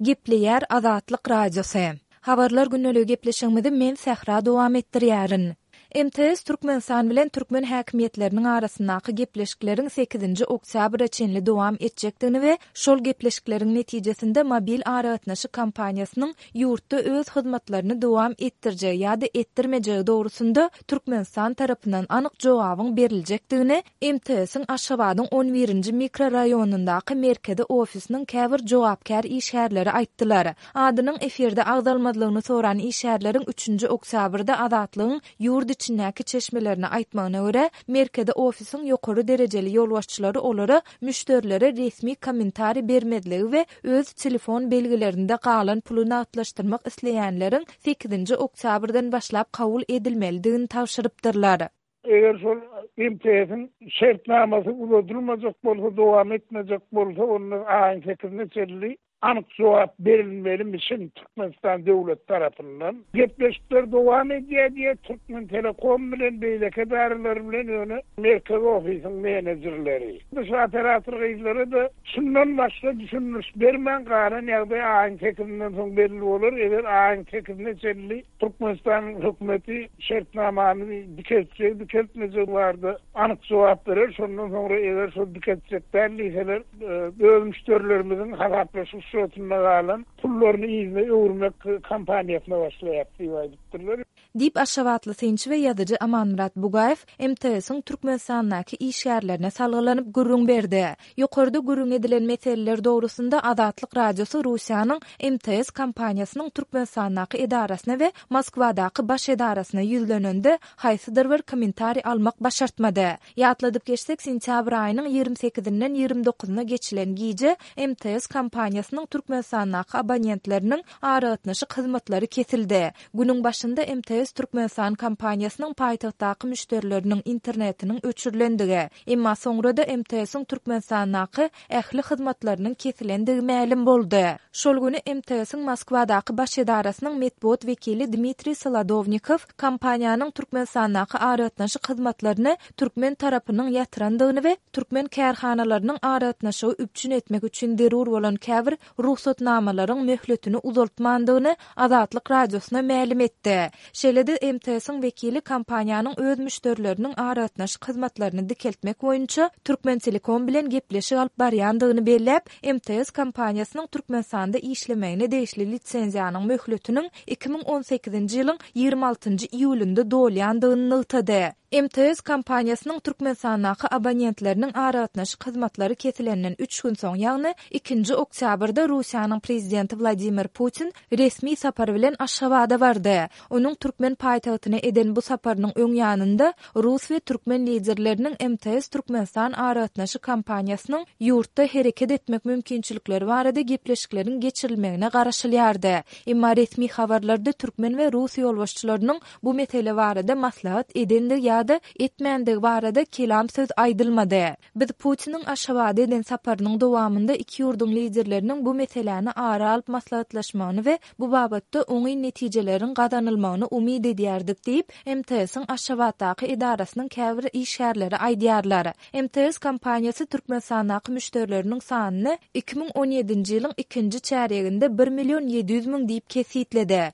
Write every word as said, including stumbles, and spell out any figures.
Gepleýär Azatlyk Radiosy. Habarlar gündeligi gepleşigimizi men Sähra dowam etdirýärin. M T S Türkmenistan bilen türkmen häkimiýetleriniň arasyndaky gepleşikleriň sekizinji oktýabra çenli dowam etjekdigini we şol gepleşikleriň netijesinde mobil aragatnaşyk kompaniýasynyň ýurtda öz hyzmatlaryny dowam etdirjegi ýa-da etdirmejegi dogrusynda Türkmenistan tarapyndan anyk jogabyň beriljekdigini M T S-iň Aşgabadyň on birinji mikroraýonyndaky merkezi ofisiniň käbir jogapkär işgärleri aýtdylar. Adynyň efirde agzalmazlygyny soran işgärleriň üçünji oktýabrda Azatlygyň ýurt içindäki çeşmelerine aýtmagyna görä, merkezi ofisiň ýokary derejeli ýolbaşçylary olara müşderilere resmi kommentariý bermezligi we öz telefon belgilerinde galan puly nagtlaşdyrmak isleýänleriň sekizinji oktýabrdan başlap kabul edilmelidigini tabşyrypdyrlar. Eger şol M T S-iň şertnamasy uzadylmajak bolsa, dowam etmejek bolsa, onda aýyň sekizine çenli anyk jogap berilmelimişin Türkmenistan döwlet tarapyndan. Gepleşikler dowam edýär diýe Türkmen Telekom bilen beýleki edaralar bilen ýöne merkezi ofisiň menejerleri. Şu operator gyzlara da şundan başga düşündiriş bermän galan ýagdaý aýyň sekizinden soň belli bolar. Eger aýyň sekizine çenli Türkmenistan hökümeti şertnamany dikeltjek, dikeltmejek barada anyk jogap berer. Şondan soňra eger şol dikeltjek däl diýseler, öz müşderilerimiziň hasaplaşyk şotunda galan pullaryny yzyna öwürmek kampaniýasyna başlaýar diýip aýdypdyrlar. Diýip Aşgabatly synçy we ýazyjy Amanmyrat Bugaýew M T S-iň Türkmenistandaky işgärlerine salgylanyp gürrüň berdi. Ýokarda gürrüň edilen meseleler dogrusynda Azatlyk Radiosy Russiýanyň M T S kompaniýasynyň Türkmenistandaky edarasyna we Moskwadaky baş edarasyna ýüzlenende haýsydyr bir kommentariý almak başartmady. Ýatladyp geçsek, sentýabr aýynyň ýigrimi sekizinden ýigrimi dokuzyna geçilen gije M T S kompaniýasynyň Türkmenistandaky abonentleriniň aragatnaşyk hyzmatlary kesildi. Günüň başynda M T S Türkmenistan kompaniýasynyň paýtagtdaky müşderileriniň internetiniň öçürilendigi, emma soňra da M T S-iň Türkmenistandaky ähli hyzmatlarynyň kesilendigi mälim boldy. Şol güni M T S-iň Moskwadaky baş edarasynyň metbugat wekili Dmitriý Solodownikow kompaniýanyň Türkmenistandaky aragatnaşyk hyzmatlaryny türkmen tarapynyň ýatyrandygyny we türkmen kärhanalarynyň aragatnaşygy üpjün etmek üçin zerur bolan käbir rugsatnamalaryň möhletini uzaltmandygyny Azatlyk Radiosyna mälim etdi. Şeýle-de M T S-iň wekili kompaniýanyň öz müşderileriniň aragatnaşyk hyzmatlaryny dikeltmek boýunça Türkmen Telekom bilen gepleşik alyp barýandygyny belläp, M T S kompaniýasynyň Türkmenistanda işlemegine degişli lisenziýanyň möhletiniň iki müň on sekizinji ýylyň ýigrimi altynjy iýulynda dolýandygyny nygtady. M T S kompaniýasynyň Türkmenistandaky abonentleriniň aragatnaşyk hyzmatlary kesilenden üç gün soň, ýagny ikinji oktýabrda Russiýanyň prezidenti Wladimir Putin resmi sapar bilen Aşgabada bardy. Onuň türkmen paýtagtyna eden bu saparynyň öň ýanynda Rus we türkmen liderleriniň M T S Türkmenistan aragatnaşyk kompaniýasynyň ýurtda hereket etmek mümkinçilikleri barada gepleşikleriň geçirilmegine garaşylýardy. Emma resmi habarlarda türkmen we Rus ýolbaşçylarynyň bu mesele barada maslahat edendigi ýa-da etmändigi barada kelam söz aýdylmady. Biz Putiniň Aşgabada eden saparynyň dowamynda iki ýurduň liderleriniň bu meseläni ara alyp maslahatlaşmagyny we bu babatda oňyn netijeleriň gazanylmagyny umyt edýärdik diýip, M T S-iň Aşgabatdaky edarasynyň käbir işgärleri aýdýarlar. M T S kompaniýasy Türkmenistandaky müşderileriniň sanyny iki müň on ýedinji ýylyň ikinji çärýeginde bir million ýedi ýüz müň diýip kesitledi.